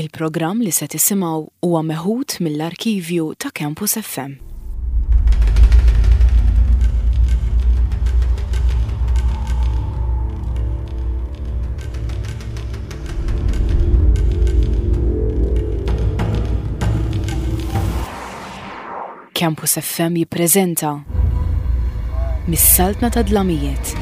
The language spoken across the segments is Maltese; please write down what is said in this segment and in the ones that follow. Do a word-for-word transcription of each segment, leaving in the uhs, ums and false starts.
Il-programm li se tisimgħu huwa meħud mill-arkivju ta' Campus F M. Campus F M jippreżenta Mis-Saltna ta' Dlamijiet.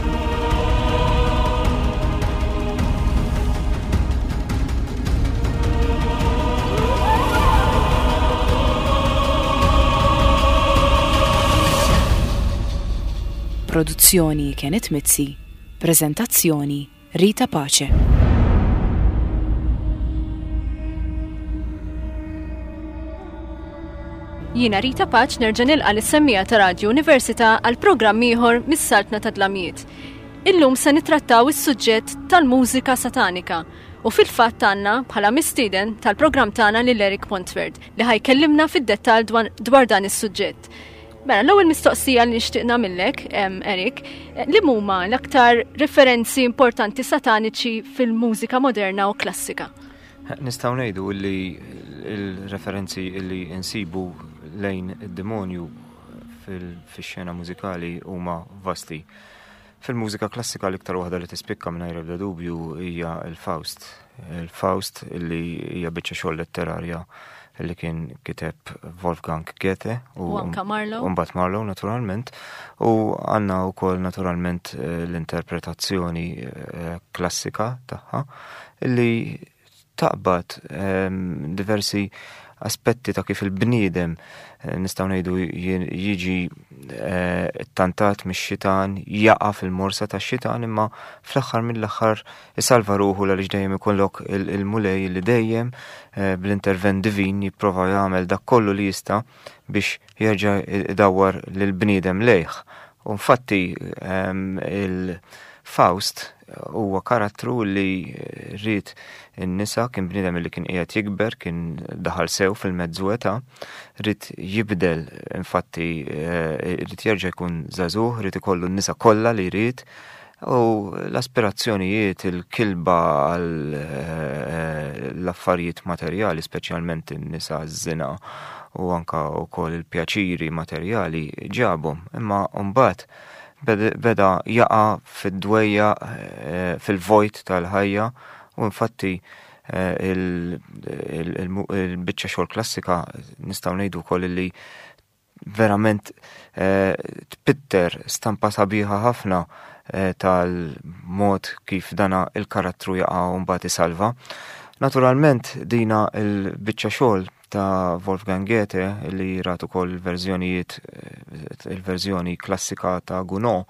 Produzzjoni Kenneth Mizzi, prezentazzjoni Rita Pace. Jiena Rita Pace nerġa' nilqa' lis-semmiegħa ta' Radio Università għal programm ieħor Mis-Saltna ta' Dlamijiet. Illum se nitrattaw is-suġġett tal-mużika satanika u fil-fatt għandna bħala mistieden tal-programm tagħna lil Eric Pontverd li ħa jkellimna fid-dettall dwar dan is-suġġett. Mela, l-ewwel mistoqsija li nixtieq nagħmillek, Eric, li huma l-aktar referenzi importanti sataniċi fil-mużika moderna u klassika? Nistgħu ngħidu li il-referenzi li insibu lejn id-demonju fil-xena mużikali huma vasti. Fil-mużika klassika, l-iktar waħda li tispikka mingħajr ebda dubju hija il-Faust. Il-Faust, li hija biċċa xogħol letterarja li kien kiteb Wolfgang Goethe. U anka Marlowe. U mbagħad Marlowe, naturalment, u għandna wkoll naturalment eh, l-interpretazzjoni eh, klassika tagħha li taqbad ehm, diversi aspetti ta' kif il-bniedem eh, nistgħu ngħidu jiġi ttantat mix-xitan, jaqa' fil-morsa tax-xitan, imma fl-aħħar mill-aħħar isalva ruħu, għaliex dejjem ikollok il-Mulej li dejjem eh, bl-intervent divin jipprova jagħmel dak kollu li jista' biex jerġa' idawwar lill-bniedem lejh. U infatti ehm, il-Faust huwa karattru li ried in-nisa, kien bniedem li kien qiegħed jikber, kien daħal sew fil-mezzu età, ried jibdel, infatti eh, ried jerġa' jkun żagħżugħ, ried ikollu n-nisa kollha li jrid, u l-aspirazzjonijiet, il-kilba għal eh, l-affarijiet materjali, speċjalment in-nisa, ż-żina u anka wkoll il-pjaċiri materjali ġabhom. Imma mbagħad beda jaqa' fid-dwejja, eh, fil-vojt tal-ħajja, u infatti eh, il-biċċa xogħol klassika nistgħu ngħidu wkoll li verament eh, tpitter stampa sabiħa ħafna tal-mod kif dana il-karattru jaqa' u mbagħad isalva. Naturalment dina il-biċċa xogħol ta' Wolfgang Goethe, li rat ukoll il-verżjonijiet, il-verżjoni klassika ta' Gounod,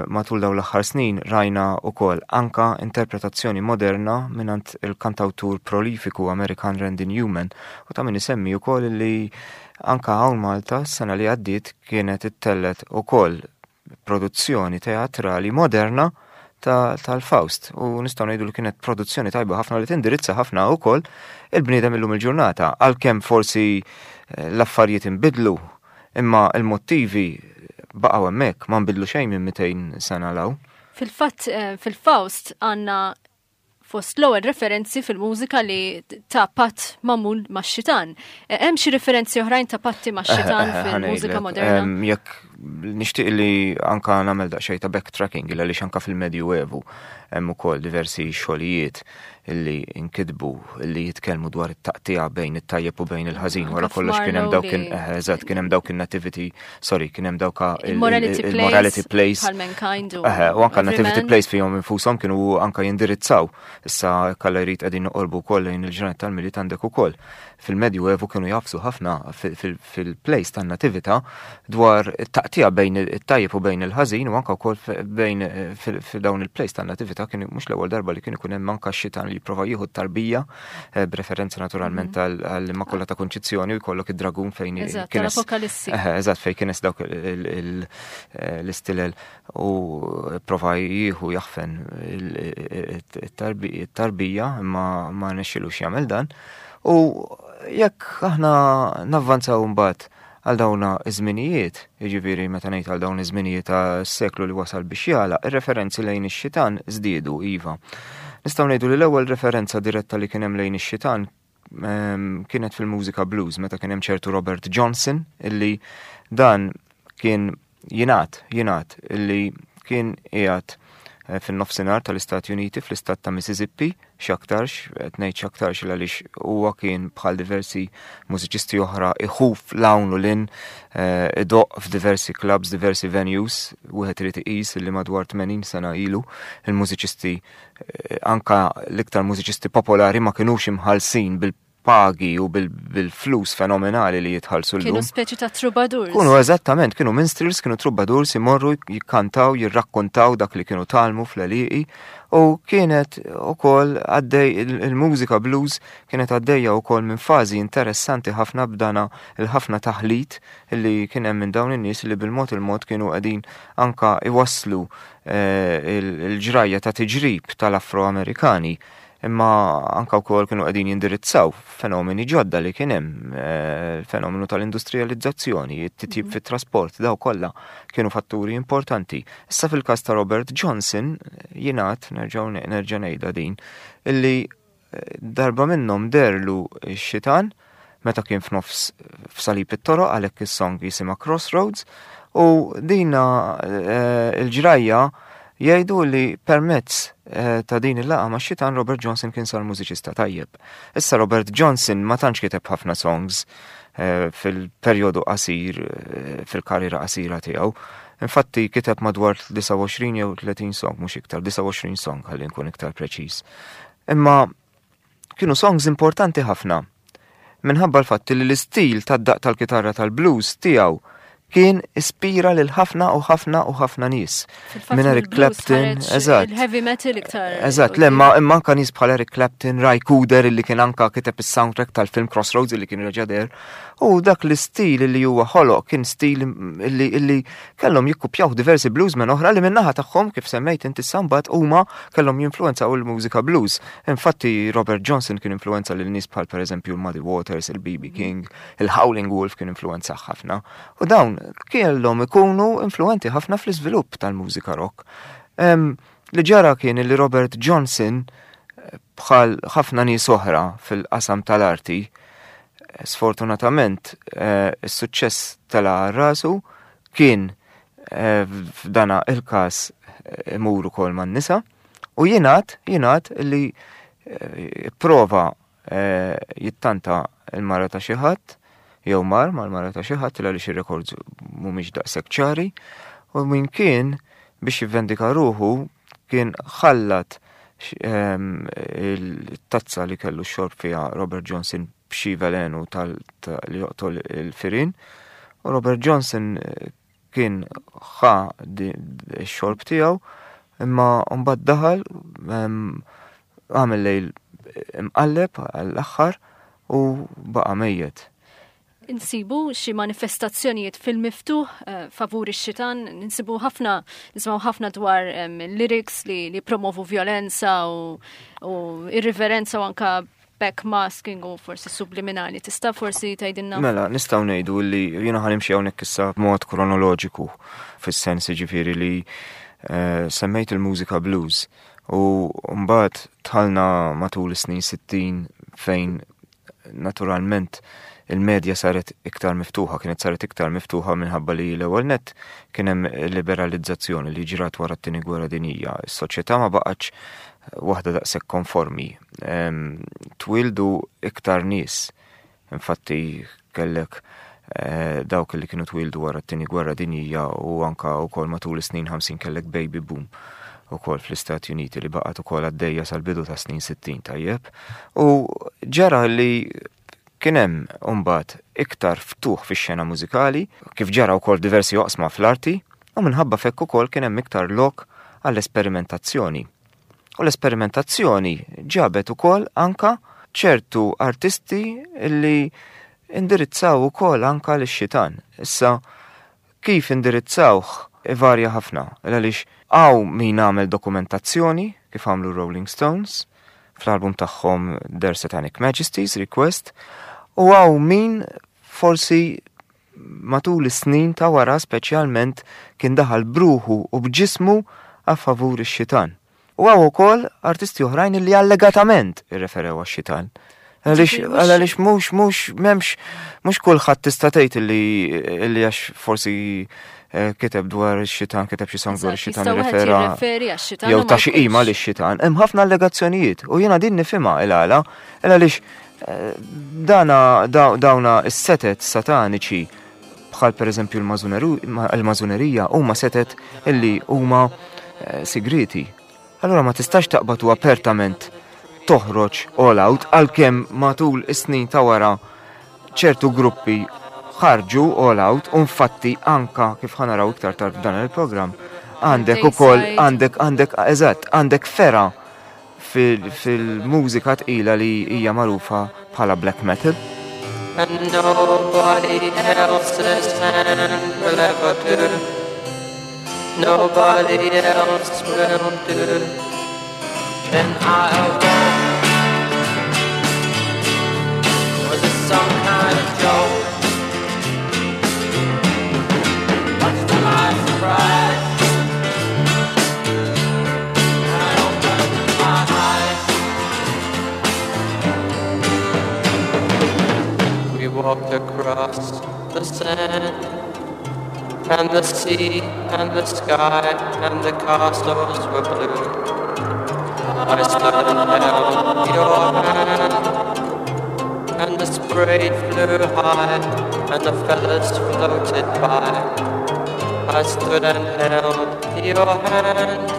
matul dawn l-aħħar snin rajna ukoll anka interpretazzjoni moderna mingħand il-kantawtur prolifiku Amerikan Randy Newman, u ta' min isemmi ukoll li anka hawn Malta s-sena li għaddiet kienet ittellgħet ukoll produzzjoni teatrali moderna tal-Faust, u nistgħu ngħidu li kienet produzzjoni tajba ħafna li tindirizza ħafna wkoll il-bniedem illum il-ġurnata, għalkemm forsi eh, l-affarijiet inbidlu, imma il-motivi baqgħu hemmhekk, ma nbidlu xejn minn mitejn sena 'l hawn. Fil-fatt, eh, fil-Faust għandna fost l-ewwel referenzi fil-mużika li ta' patt magħmul max-xitan. Eh, hemm xi referenzi oħrajn ta' patti max-xitan fil-mużika moderna? Jekk nixtieq li anka nagħmel daqsxejn ta' backtracking, għaliex anka fil-Medju Evu hemm ukoll diversi xogħlijiet illi inkitbu illi jitkellmu dwar it-taqtija bejn it-tajjeb u bejn il-ħażin. Wara kollox kien hemm dawk, eh, eżatt, kien hemm dawk in-nativity, sorry, kien hemm dawk il-morality plays. U anka nativity plays fihom infushom kienu anka jindirizzaw. Issa kalla jrid qegħdin noqorbu wkoll lejn il-ġranet tal-Milied, għandek ukoll fil-Medju Evu kienu jagħfsu ħafna fil-plays tan-nativita dwar it-taqtija bejn it-tajjeb u bejn il-ħażin, u anka wkoll bejn fil-dawn il-plays tan-nativita kienu mhux l-ewwel darba li kien ikun hemm anka xitan li jipprova jieħu t-tarbija, eh, b'referenza naturalment mhm. għall-Immakulata Konċizzjoni, u jkollok id-dragun fejn kien Apokalissi. Eh, eżatt, fejn kien dawk eh, l-istilel u prova jieħu jaħfen it-tarbija, imma ma rnexxilux jagħmel dan. U jekk aħna navvanzaw mbagħad għal dawna iż-żminijiet, jiġifieri meta ngħid għal dawn iż-żminijiet tas-seklu li wasal biex jagħlaq, ir-referenzi lejn ix-xitan żdiedu, iva. Nistgħu ngħidu li l-ewwel referenza diretta li kien hemm lejn ix-xitan ehm, kienet fil-mużika blues meta kien hemm ċertu Robert Johnson, illi dan kien jingħad jingħad illi kien qiegħed eh, fin-nofsinhar tal-Istati Uniti, fl-istat ta' Mississippi, x'aktarx, qed ngħid x'aktarx għaliex huwa kien bħal diversi mużiċisti oħra iħuf 'l hawn u 'l hinn, eh, idoqq f'diversi clubs, diversi venues. Wieħed irid iqis li madwar tmenin sena ilu il-mużiċisti, eh, anka l-iktar mużiċisti popolari, ma kinux imħallsin bil-pagi u bil-flus fenomenali li jitħallsu llum. Kienu speċi ta' troubadours. Kienu eżattament, kienu minstrels, kienu troubadours, imorru jikkantaw, jirrakkontaw dak li kienu tgħallmu fl-għelieqi, u kienet ukoll għaddej il-mużika blues, kienet għaddejja ukoll minn fażi interessanti ħafna b'dana il-ħafna taħlit li kien hemm minn dawn in-nies li bil-mod il-mod kienu qegħdin anka iwasslu eh, il-ġrajja ta' tiġrib tal-Afroamerikani, imma anka wkoll kienu qegħdin jindirizzaw fenomeni ġodda li kien hemm, eh, il-fenomenu tal-industrializzazzjoni, it-titjib mhm. fit-trasport, daw kollha kienu fatturi importanti. Issa fil-każ ta' Robert Johnson jingħad, nerġgħu nerġa' ngħidha din, illi eh, darba minnhom deherlu x-xitan meta kien f'nofs f'salib it-toroq, għalhekk is-song jisimha Crossroads, u dina eh, il-ġrajja jgħidu li permezz eh, ta' din il-laqgħa ma' xitan Robert Johnson kien sar mużiċista tajjeb. Issa Robert Johnson ma tantx kiteb ħafna songs eh, fil-perjodu qasir, eh, fil-karriera qasira tiegħu. Infatti kiteb madwar disgħa u għoxrin jew tletin song, mhux iktar, disgħa u għoxrin song ħalli nkun iktar preċiż. Imma kienu songs importanti ħafna minħabba l-fatt li l-istil tad-daq tal-kitarra tal-blues tiegħu kien ispira lil ħafna u ħafna u ħafna nies. Minn Eric Clapton, eżatt. Il-heavy metal iktar. Eżatt, le ma imma anka nies bħal Eric Clapton, Ry Cooder, illi kien anka kiteb is-soundtrack tal-film Crossroads illi kien reġa' deher. U dak l-istil illi huwa ħoloq kien stil illi illi kellhom jikkupjaw diversi bluesmen oħra li min-naħa tagħhom, kif semmejt inti, sambat huma kellhom jinfluenzaw il-mużika blues. Infatti Robert Johnson kien influenza lil nies bħal, pereżempju, il-Muddy Waters, il-B B. King, il-Howling Wolf kien influenza ħafna. U dawn kellhom ikunu influenti ħafna fl-iżvilupp tal-mużika rock. Em, li ġara kien li Robert Johnson, eh, bħal ħafna nies oħra fil-qasam tal-arti, eh, sfortunatament eh, is-suċċess tela' rasu, kien eh, f'dana il-każ eh, imur ukoll man-nisa, u jingħad jingħad li eh, prova eh, jittanta il-mara ta' xi ħadd jew mar mal-mara ta' xi ħadd, għaliex ir-records mhumiex daqshekk ċari, u min kien biex jivvendika ruħu kien ħallat ehm, il-tazza li kellu xorb fiha Robert Johnson b'xi velenu tal ta- li joqtol il-firin, u Robert Johnson eh, kien ħa di- x-xorb tiegħu, imma mbagħad daħal ehm, għamel lejl imqalleb għall-aħħar u baqa' mejjet. Insibu xi manifestazzjonijiet fil-miftuħ eh, favur ix-xitan, ninsibu ħafna, nisimgħu ħafna dwar em, lyrics li, li promovu violenza u, u irriverenza u anka backmasking u forsi subliminali. Tista' forsi tgħidilna? Mela, nistgħu ngħidu li jiena ħa nimxi hawnhekk issa b'mod kronoloġiku, fis-sens ġifieri li eh, semmejt il-mużika blues u mbagħad dħalna matul is-snin sittin fejn naturalment il-medja saret iktar miftuħa, kienet saret iktar miftuħa minħabba li l-ewwel net kien hemm liberalizzazzjoni li ġrat wara t-tieni gwerra dinjija. Is-soċjetà ma baqgħetx waħda daqshekk konformi. Em, Twildu iktar nies. Infatti kellek eh, dawk li kienu twildu wara t-tieni gwerra dinjija u anka wkoll matul is-snin ħamsin kellek baby boom ukoll fl-Istati Uniti li baqgħet ukoll għaddejja sal-bidu ta' snin sittin, tajjeb. U ġara li kien hemm mbagħad iktar ftuħ fix-xena mużikali, kif ġara wkoll diversi oqsma fl-arti, u minħabba f'hekk ukoll kien hemm iktar lok għall-esperimentazzjoni. U l-esperimentazzjoni ġabet ukoll anka ċertu artisti li indirizzaw ukoll anka lix-xitan. Issa kif indirizzawh ivarja ħafna, għaliex hawn min għamel dokumentazzjoni kif għamlu Rolling Stones fl-album tagħhom Their Satanic Majesties Request, u hawn min forsi matul is-snin ta' wara speċjalment kien daħal b'ruħu u b'ġismu a favur ix-xitan. U hawn ukoll artisti oħrajn li allegatament irreferew għax-xitan. Għaliex Ġifieri mhux- għaliex mhux mhux m'hemmx mhux kulħadd tista' tgħid illi illi għax forsi eh, kiteb dwar ix-xitan, kiteb xi song dwar Eżatt, ix-xitan jista' wieħed irrefera jirreferi għax-xitan jew u ma ta' xi qima jkunx. lix-xitan. Hemm ħafna allegazzjonijiet u jiena din nifhimha il-għala, il għaliex eh, dana daw- dawna is-setet sataniċi bħal pereżempju l-mażunerija huma setet illi huma eh, sigriti. Allura ma tistax taqbad u apertament toħroġ all out, għalkemm matul is-snin ta' wara ċertu gruppi ħarġu all out, u infatti anka kif ħa naraw iktar tard f'dan il-programm għandek ukoll Dayside. għandek għandek eżatt għandek fergħa fil- fil-mużika tqila li hija magħrufa bħala black metal. And nobody else's hand will ever do. Nobody else will do. Then I awoke. Was it some kind of joke? Much to my surprise, I opened my eyes. We walked across the sand and the sea and the sky and the castles were blue. I stood and held your hand, and the spray flew high and the feathers floated by. I stood and held your hand,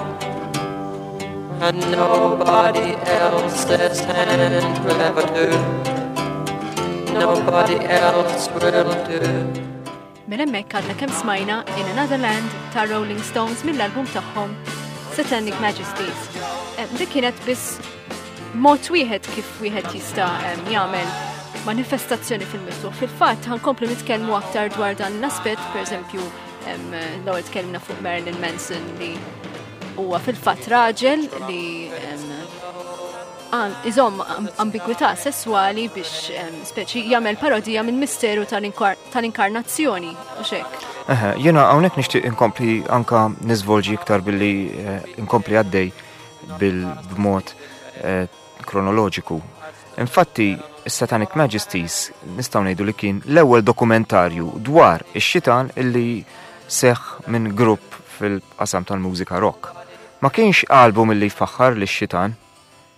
and nobody else's hand will ever do. Nobody else will do. Mela hemmhekk għadna kemm smajna In Another Land ta' Rolling Stones mill-album tagħhom Satanic Majesties. Eh, Dik kienet biss mod wieħed kif wieħed jista' em, jagħmel manifestazzjoni fil-miftuħ. Fil-fatt ħa nkomplu nitkellmu aktar dwar dan l-aspett, pereżempju em, l-ewwel tkellimna fuq Marilyn Manson li huwa fil-fatt raġel li em, għan- iżomm am- ambigwità sessuali biex em, speċi jagħmel parodija minn misteru tal-inkar- tal-inkarnazzjoni u xek. Eħe, jiena hawnhekk nixtieq inkompli anka niżvolġi iktar billi eh, inkompli għaddej bil-b'mod eh, kronoloġiku. Infatti, is-Satanic Majesties nistgħu ngħidu li kien l-ewwel dokumentarju dwar ix-xitan illi seħ minn grupp fil-qasam tal-mużika rock. Ma kienx album illi jfaħħar lix-xitan,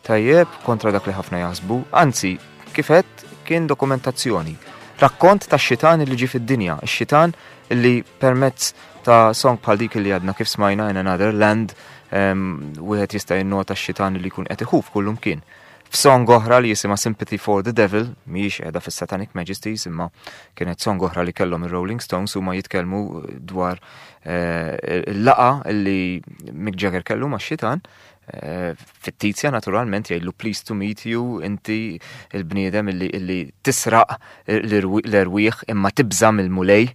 tajjeb, kontra dak li ħafna jaħsbu, anzi, kif għedt, kien dokumentazzjoni. Rakkont ta' xitan li ġi fid-dinja, ix-xitan illi permezz ta' song bħal dik li għadna kif smajna In Another Land, em, wieħed jista' jinnota x-xitan li jkun qed iħuf kullum kien. F'song oħra li jisimha Sympathy for the Devil, mhijiex qiegħda fis-Satanic Majesties, imma kienet song oħra li kellhom ir-Rolling Stones, huma jitkellmu dwar eh, il-laqgħa li Mick Jagger kellu max-xitan, eh, fittizja naturalment, jgħidlu "Pleased to meet you, inti il-bniedem illi, illi tisraq l-erwieħ imma tibża mill-Mulej."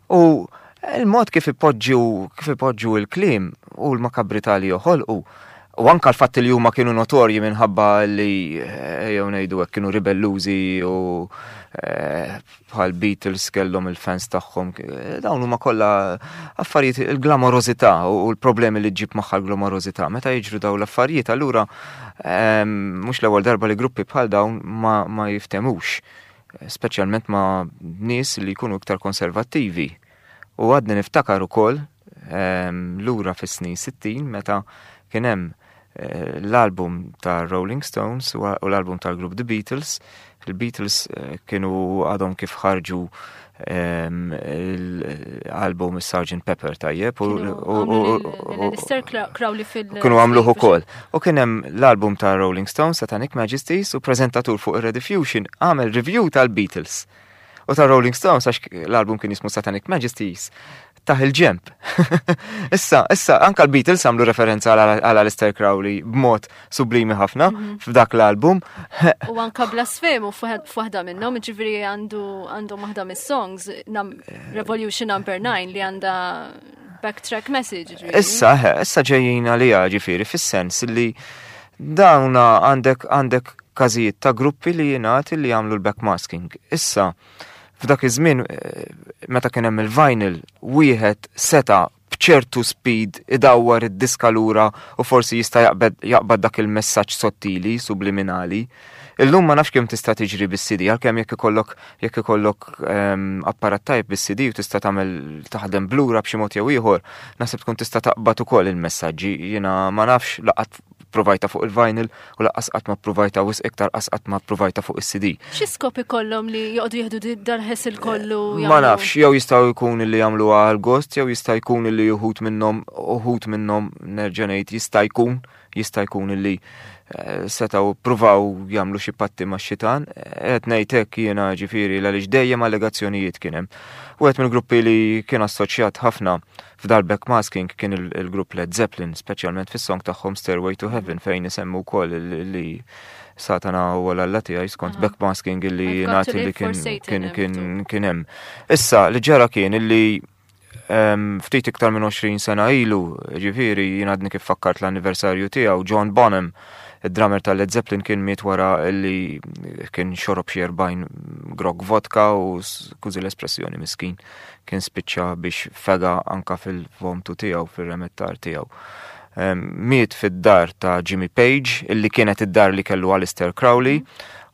U il-mod kif ipoġġu kif ipoġġu il-kliem u l-makabrità li joħolqu u anka l-fatt li huma kienu notorji minħabba li eh, jew ngħidu hekk kienu ribellużi u eh, bħal Beatles kellhom il-fans tagħhom, eh, dawn huma kollha affarijiet, il-glamorożità u l-problemi li ġġib magħha l-glamorożità. Meta jiġru dawn l-affarijiet, allura ehm, mhux l-ewwel darba li gruppi bħal dawn ma, ma jiftemux, speċjalment ma' nies li jkunu iktar konservattivi. U għadni niftakar ukoll ehm, lura fis-snin sittin meta kien hemm eh, l-album ta' Rolling Stones u u l-album tal-grupp The Beatles. Il-Beatles eh, kienu għadhom kif ħarġu ehm, l-album Sergeant Pepper, tajjeb, u- Kienu u- għamlu u- lil- u- lil Aleister Crowley fil- kienu għamluh ukoll. U kien hemm l-album ta' Rolling Stones, Satanic Majesties, u prezentatur fuq ir-Rediffusion għamel review tal-Beatles u ta' Rolling Stones, għax l-album kien jismu Satanic Majesties, taħ il-ġemp. Issa, issa, anka l-Beatles għamlu referenza għal għal Aleister Crowley b'mod sublimi ħafna f'dak l-album. U anka blasfemu f'waħda minnhom, ġifieri għandu għandu waħda mis-songs, nam, Revolution Number nine, li għandha backtrack message. Ġifieri. Issa, eh, issa ġejjin għalija, ġifieri, fis-sens li dawna għandek għandek każijiet ta' gruppi li jingħati li jagħmlu l-backmasking. Issa, f'dak iż-żmien eh, meta kien hemm il-vinyl, wieħed seta b'ċans B'ċertu speed idawwar id-diska lura u forsi jista' jaqbad dak il-messaġġ sottili, subliminali. Illum ma nafx kemm tista' tiġri bis-C D, għalkemm jekk ikollok jekk ikollok ehm, apparat tajb bis-C D u tista' tagħmel taħdem blura b'xi mod jew ieħor, naħseb tkun tista' taqbad ukoll il-messaġġi. Jiena ma nafx, la qatt provajta fuq il-vinyl u lanqas qatt ma provajta, wisq iktar qas qatt ma provajta fuq is-C D. Xi skop ikollhom li joqogħdu jieħdu dal-hassle kollu? Ma nafx, jew jistgħu jkun li jagħmlu għal gost, jew jista' jkun li uħud minnhom uħud minnhom nerġa' ngħid, jista' jkun jista' jkun li eh, setgħu pruvaw jagħmlu xi patti ma' xitan, qed ngħid hekk jiena, ġifieri, għaliex dejjem allegazzjonijiet kien hemm. Wieħed mill-gruppi li kien assoċjat ħafna f'dal backmasking kien il-grupp Led Zeppelin, speċjalment fis-song tagħhom Stairway to Heaven, fejn isemmu wkoll li Satana u l-alla tiegħi skont backmasking illi nagħti li kien kien kien hemm. Issa li ġara kien illi ftit iktar minn għoxrin sena ilu, ġifieri jien għadni kif fakkart l-anniversarju tiegħu, John Bonham, id-drummer tal-Led Zeppelin, kien miet wara li kien xorob xi erbgħin grokk vodka u, skużi l-espressjoni, miskin, kien spiċċa biex fega anka fil-vomtu tiegħu, fil-remettar tiegħu. Miet fid-dar ta' Jimmy Page, illi kienet id-dar li kellu Aleister Crowley,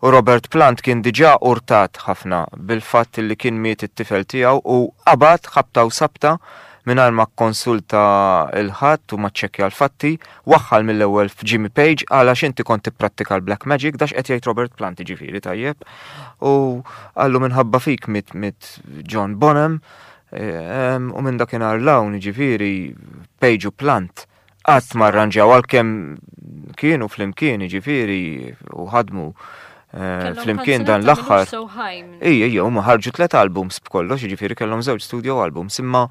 u Robert Plant kien diġà urtat ħafna bil-fatt li kien miet it-tifel tiegħu u qabad ħabta u sabta, mingħajr ma konsulta 'l ħadd u ma ċċekkja l-fatti, waħħal mill-ewwel f'Jimmy Page għala inti kont tipprattika l-black magic, dax qed jgħid Robert Plant, ġifieri, tajjeb. U qallu minħabba fik miet miet John Bonham u minn dakinhar 'l hawn, ġifieri, Page u Plant qatt ma rranġaw, għalkemm kienu flimkien, ġifieri, u ħadmu eh, flimkien dan l-aħħar. Ija, ija, huma ħarġu tlet albums b'kollox, ġifieri kellhom żewġ studio albums, imma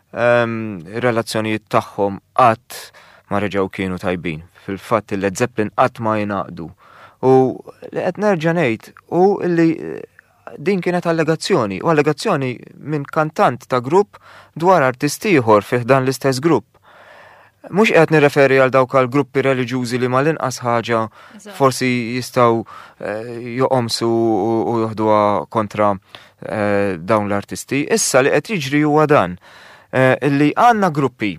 ehm, relazzjonijiet tagħhom qatt ma reġgħu kienu tajbin. Fil-fatt il-Led Zeppelin qatt ma jingħaqdu. U li qed nerġa' ngħid u li eh, din kienet allegazzjoni, u allegazzjoni minn kantant ta' grupp dwar artist ieħor fih dan l-istess grupp. Mhux qed nirreferi għal dawk għal gruppi reliġjużi li mal-inqas ħaġa forsi jistgħu eh, joqomsu u joħduha kontra eh, dawn l-artisti. Issa li qed jiġri huwa dan eh, illi għandna gruppi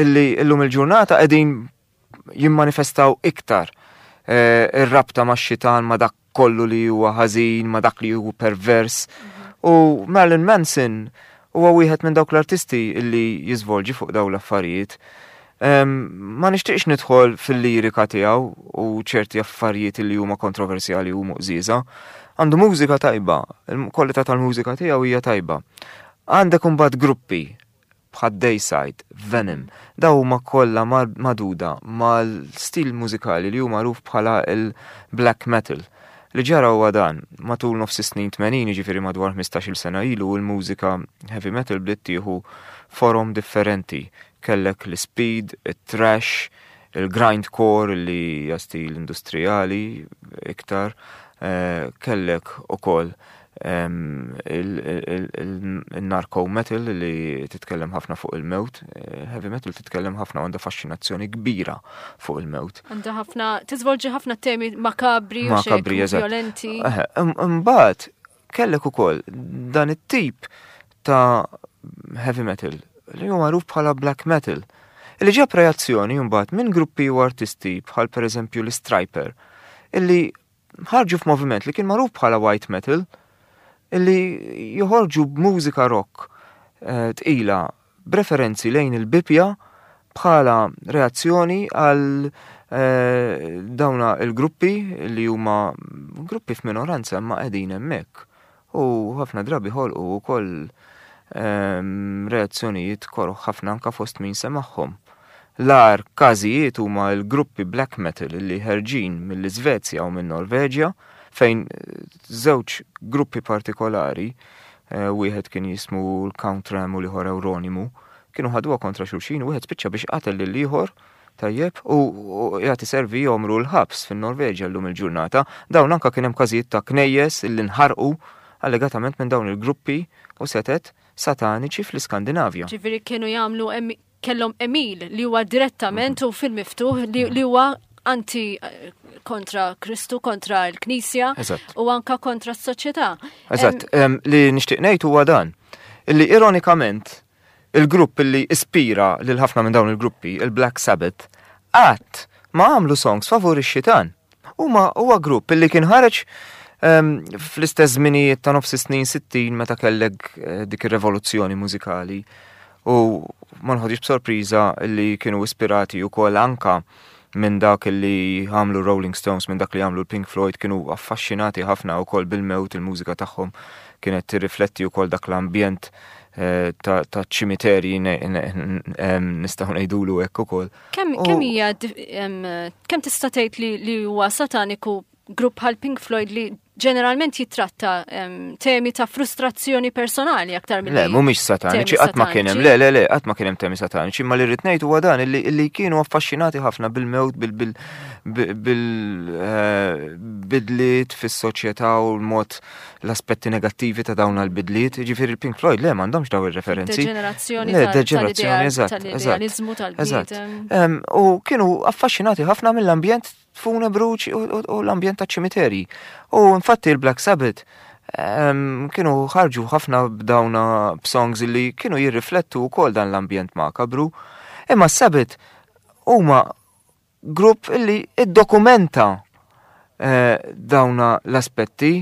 illi illum il-ġurnata qegħdin jimmanifestaw iktar ir-rabta ma' xitan, ma' dak kollu li huwa ħażin, ma' dak li huwa pervers. U Marilyn Manson huwa wieħed minn dawk l-artisti illi jiżvolġi fuq dawn l-affarijiet. Ma nixtieqx nidħol fil-lirika tiegħu u ċerti affarijiet li huma kontroversjali u muqżiża. Għandu mużika tajba, il-kwalità tal-mużika tiegħu hija tajba. Għandek imbagħad gruppi bħad Deicide, Venom, daw huma kollha magħduda mal-stil mużikali li hu magħruf bħala il-black metal. Li ġara huwa dan, matul nofs snin tmenin, ġifieri madwar ħmistax-il sena ilu, il-mużika heavy metal bdiet tieħu forom differenti. Kellek l-speed, il-thrash, il-grindcore li hija stil industrijali iktar, eh, kellek ukoll il-narco metal li titkellem ħafna fuq il-mewt. Eh, heavy metal titkellem ħafna, għandha faxxinazzjoni kbira fuq il-mewt. Għandha ħafna, tiżvolġi ħafna temi makabri u Makabri, eżatt. violenti. Imbagħad kellek ukoll dan it-tip ta' heavy metal li huwa magħruf bħala black metal, li ġab reazzjoni mbagħad minn gruppi u artisti bħal pereżempju l-Stryper, illi ħarġu f'moviment li kien magħruf bħala white metal, illi joħorġu b'mużika rock eh, tqila b'referenzi lejn il-Bibja bħala reazzjoni għal eh, dawna il-gruppi li huma gruppi f'minoranza imma qegħdin hemmhekk. U ħafna drabi ħolqu wkoll ehm, reazzjonijiet koroh ħafna anka fost min semagħhom. L-agħar każijiet huma l-gruppi black metal li ħerġin mill-Iżvezja u minn Norveġja, fejn żewġ gruppi partikolari, eh, wieħed kien jismu l-Count Ram u l-ieħor Euronymous, kienu ħaduha kontra xulxin u wieħed spiċċa biex qatel lil ieħor, tajjeb, u jagħti servi jomru l-ħabs fin-Norveġja llum il-ġurnata. Dawn anka kien hemm każijiet ta' knejjes illi nħarqu allegatament minn dawn il-gruppi u setet sataniċi fl-Iskandinavja. Ġifieri kienu jagħmlu, kellhom għemil li huwa direttament u fil-miftuħ li huwa anti, eh, kontra Kristu, kontra l-Knisja u anka kontra s-soċjetà. Eżatt, li nixtieq ngħid huwa dan. Illi ironikament Il-grupp li ispira lil ħafna minn dawn il-gruppi, il-Black Sabbath, qatt ma għamlu songs favur ix-xitan. Huma huwa grupp li kien ħareġ um, fl-istess żminijiet ta' nofs snin sittin meta kellek eh, dik ir-revoluzzjoni mużikali u ma nħodix b'sorpriża li kienu ispirati wkoll anka minn dak li għamlu Rolling Stones, minn dak li għamlu Pink Floyd, kienu affaxxinati ħafna wkoll bil-mewt, il-mużika tagħhom kienet tirrifletti wkoll dak l-ambjent eh, ta' ċimiterji, nistgħu ngħidulu hekk ukoll. Kemm hija, kemm tista' tgħid li huwa sataniku grupp bħal Pink Floyd li ġeneralment jitratta temi ta' frustrazzjoni personali aktar minn Le, mhumiex sataniċi, qatt ma kien hemm, le, le, le, qatt ma kien hemm temi sataniċi, imma li rrid ngħid huwa dan illi kienu affaxxinati ħafna bil-mewt, bil-bidliet fis-soċjetà u l-mod l-aspetti negattivi ta' dawn l-bidliet. Ġifieri il-Pink Floyd le m'għandhomx daw ir-referenzi. Deġenerazzjoni, deġenerazzjoni, eżatt, tal-idealizmu tal-bniedem. U kienu affaxxinati ħafna mill-ambjent funebru u l-ambjent ta' ċimiteri. U infatti il-Black Sabbath kienu ħarġu ħafna b'dawna b'songs li kienu jirriflettu wkoll dan l-ambjent makabru. Imma Sabbath huma grupp illi iddokumenta eh, dawna l-aspetti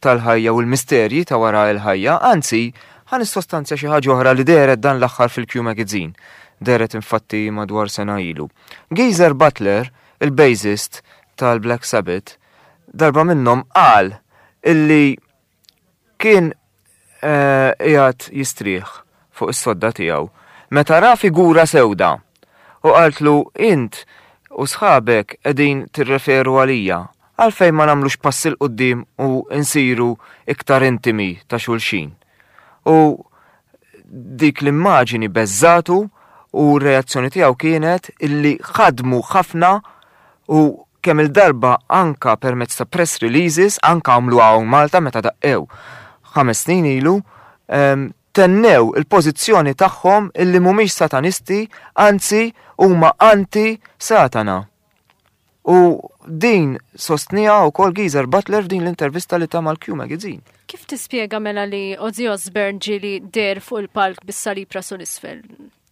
tal-ħajja u l-misterji ta' wara l-ħajja, anzi, ħa nissostanzja xi ħaġa oħra li dehret dan l-aħħar fil-Q Magazine. Dehret infatti madwar sena ilu. Geezer Butler, il-bassist tal-Black Sabbath, darba minnhom qal illi kien qiegħed jistrieħ fuq is-sodda tiegħu meta ra figura sewda u qaltlu int u sħabek qegħdin tirreferu għalija, għalfejn ma nagħmlux pass 'il quddiem u nsiru iktar intimi ta' xulxin. U dik l-immaġini beżżatu u r-reazzjoni tiegħu kienet illi ħadmu ħafna u kemm il-darba anka permezz ta' press releases, anka għamlu hawn Malta meta daqqew ħames snin ilu, tennew il-pożizzjoni tagħhom illi mhumiex satanisti, anzi huma anti-satana. U din sostnija wkoll Geezer Butler f'din l-intervista li ta' mal-Q Magazine. Kif tispjega mela li Ozzy Osbourne ġieli deher fuq il-palk bis-salib rasu l-isfel?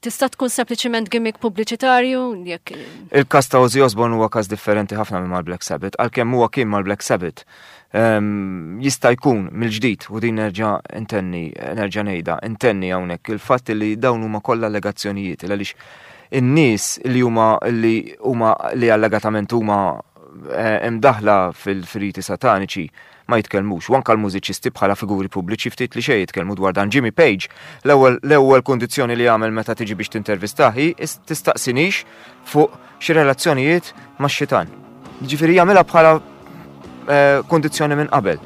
Tista' tkun sempliċement gimmick pubbliċitarju jekk Il-każ ta' Ozzy Osbourne huwa każ differenti ħafna minn mal-Black Sabbath, għalkemm huwa kien mal-Black Sabbath. Jista' jkun mill-ġdid, u din nerġa' intenni, nerġa' ngħidha, intenni hawnhekk il-fatt li dawn huma kollha allegazzjonijiet, għaliex in-nies li huma li huma li allegatament huma imdaħla fil-riti sataniċi ma jitkellmux, u anka l-mużiċisti bħala figuri pubbliċi ftit li xejn jitkellmu dwar dan. Jimmy Page, l-ewwel l-ewwel kundizzjoni li jagħmel meta tiġi biex tintervistah hi tistaqsinix fuq xi relazzjonijiet max-xitan. Ġifieri jagħmilha bħala kundizzjoni minn qabel.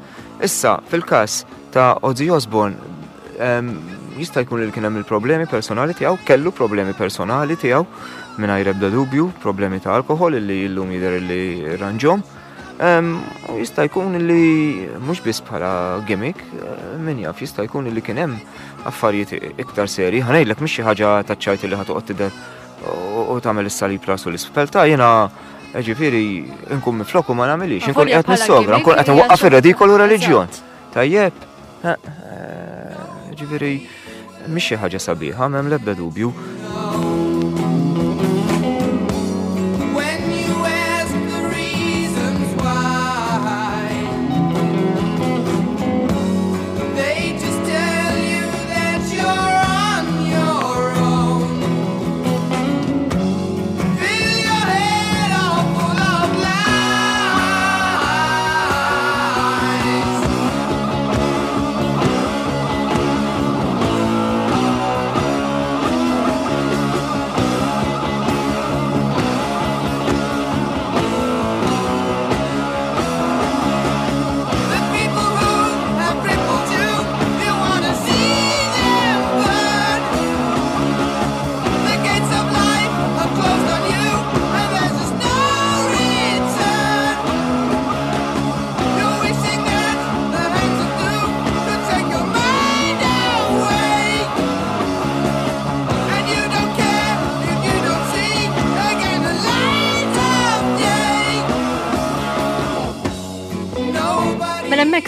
Issa, fil-każ ta' Ozzy Osbourne, jista' jkun li kien hemm il-problemi personali tiegħu, kellu problemi personali tiegħu mingħajr ebda dubju, problemi ta' alkohol li llum jidher li ranġhom. U jista' jkun li mhux biss bħala gimmick, min jaf, jista' jkun li kien hemm affarijiet iktar seri. Ħa ngħidlek mhix xi ħaġa taċ-ċajt li ħa toqgħod tidher u tagħmel is-salib rasu l-isfel ta' jiena ġifieri nkun miflok u ma nagħmilix, nkun qiegħed nissogra, nkun qed nwaqqaf ir-redikolu reliġjon. Tajjeb, ġifieri mhix xi ħaġa sabiħa, m'hemm l-ebda dubju.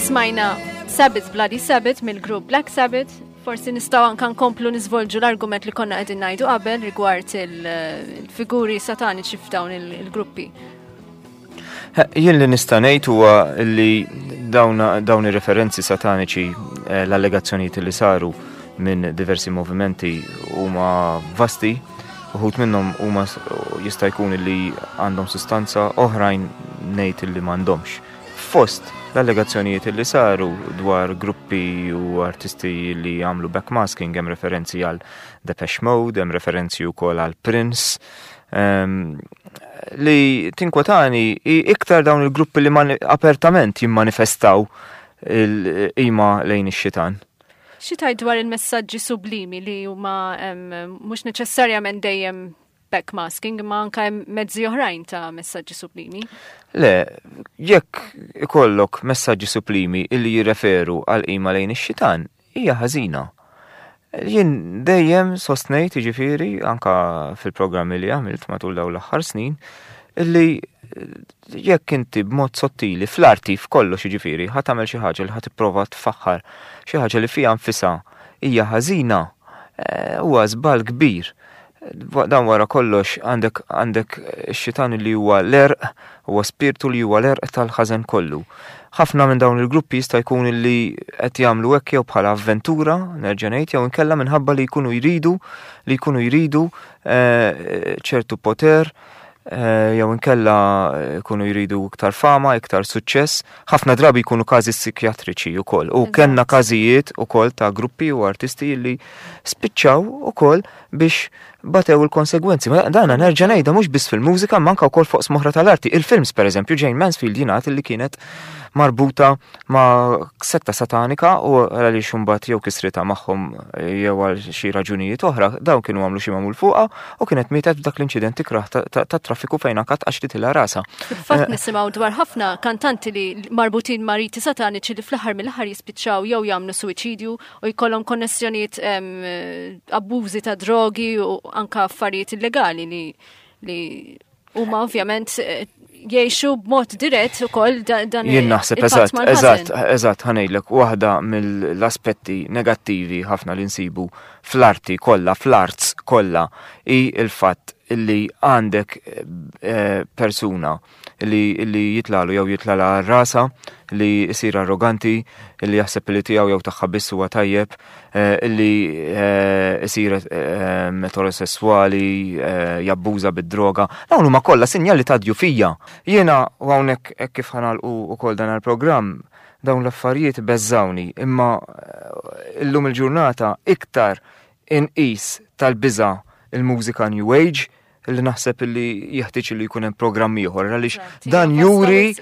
Smajna Sabbath Bloody Sabbath mill-grupp Black Sabbath Forsi nistgħu anke nkomplu niżvolġu l-argument li konna qegħdin ngħidu qabel rigward il-figuri sataniċi f'dawn il-gruppi. Jien li nista' ngħid huwa li dawn ir-referenzi sataniċi, l-allegazzjonijiet li saru minn diversi movimenti huma vasti, uħud minnhom huma jista' jkun li għandhom sustanza, oħrajn ngħid li m'għandhomx. Fost l-allegazzjonijiet li saru dwar gruppi u artisti li għamlu backmasking, hemm referenzi għal Depeche Mode, hemm referenzi wkoll għal Prince, um, li tinkwetani iktar dawn il-gruppi li apertament jimmanifestaw il-qima lejn ix-xitan. Xi tgħid dwar il-messaġġi sublimi li huma mhux neċessarjament dejjem backmasking, imma anke hemm mezzi oħrajn ta' messaġġi sublimi? Le, jekk ikollok messaġġi sublimi illi jirreferu għal qima lejn ix-xitan, hija ħażina. Jien dejjem sostnejt, jiġifieri, anka fil-programmi li għamilt matul dawn l-aħħar snin, illi jekk inti b'mod sottili fl-arti f'kollox, jiġifieri, ħa tagħmel xi ħaġa li ħa tipprova tfaħħar xi ħaġa li fiha nfisha hija ħażina, huwa żball kbir. Dan wara kollox għandek għandek ix-xitan li huwa l-erq, huwa spirtu li huwa l-erq tal-ħażen kollu. Ħafna minn dawn il-gruppi jista' jkun li qed jagħmlu hekk jew bħala avventura, nerġa' ngħid, jew inkella minħabba li jkunu jridu li jkunu jridu ċertu poter, jew inkella jkunu jridu iktar fama, iktar suċċess. Ħafna drabi jkunu każi psikjatriċi wkoll. U kellna każijiet ukoll ta' gruppi u artisti li spiċċaw ukoll biex batew il-konsegwenzi. Ma dana nerġa' ngħidha mhux biss fil-mużika, ma anke wkoll fuq smoħra tal-arti. Il-films pereżempju, Jane Mansfield jingħad li kienet marbuta ma' setta satanika u għaliex imbagħad jew kisritha magħhom jew għal xi raġunijiet oħra, dawn kienu għamlu xi magħmul fuqha u kienet mietet f'dak l-inċident ikrah tat-traffiku fejn anke tqaxritilha rasha. Fil-fatt nisimgħu dwar ħafna kantanti li marbutin ma' riti sataniċi li fl-aħħar mill-aħħar jispiċċaw jew jagħmlu suwiċidju u jkollhom konnessjonijiet abbużi ta' drogi u anke affarijiet illegali li li huma ovvjament jgħixu b'mod dirett ukoll dan. Jien naħseb eżatt, eżatt, eżatt ħa ngħidlek waħda mill-aspetti negattivi ħafna li nsibu fl-arti kollha, fl-arts kollha, hi l-fatt illi għandek persuna li li jitlalu jew jitlala rasa, li jsir arroganti, li jaħseb li tiegħu jew tagħha biss huwa tajjeb, li jsir eterosessuali, jabbuża bid-droga. Dawn huma kollha sinjali ta' djufija. Jiena u hawnhekk hekk kif ħanalqu wkoll dan il-programm, dawn l-affarijiet beżżawni, imma illum il-ġurnata iktar inqis tal-biża' il-mużika New Age, li naħseb li jeħtieġ li jkun hemm programm ieħor għaliex dan juri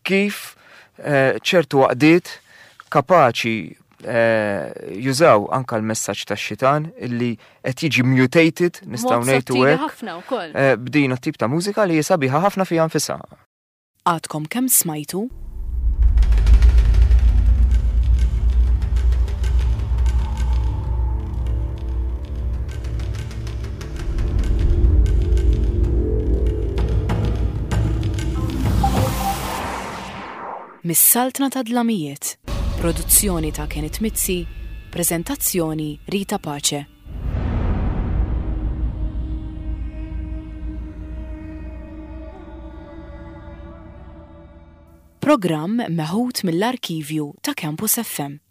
kif ċertu għaqdiet kapaċi jużaw anka l-messaġġ tax-xitan illi qed jiġi mutated, nistgħu ngħidu hekk, b'din it-tip ta' mużika li sabiħa ħafna fiha nfisha. Għadkom kemm smajtu? Mis-Saltna ta' Dlamijiet, produzzjoni ta' Kenneth Mizzi, prezentazzjoni Rita Pace. Programm meħud mill-arkivju ta' Campus F M.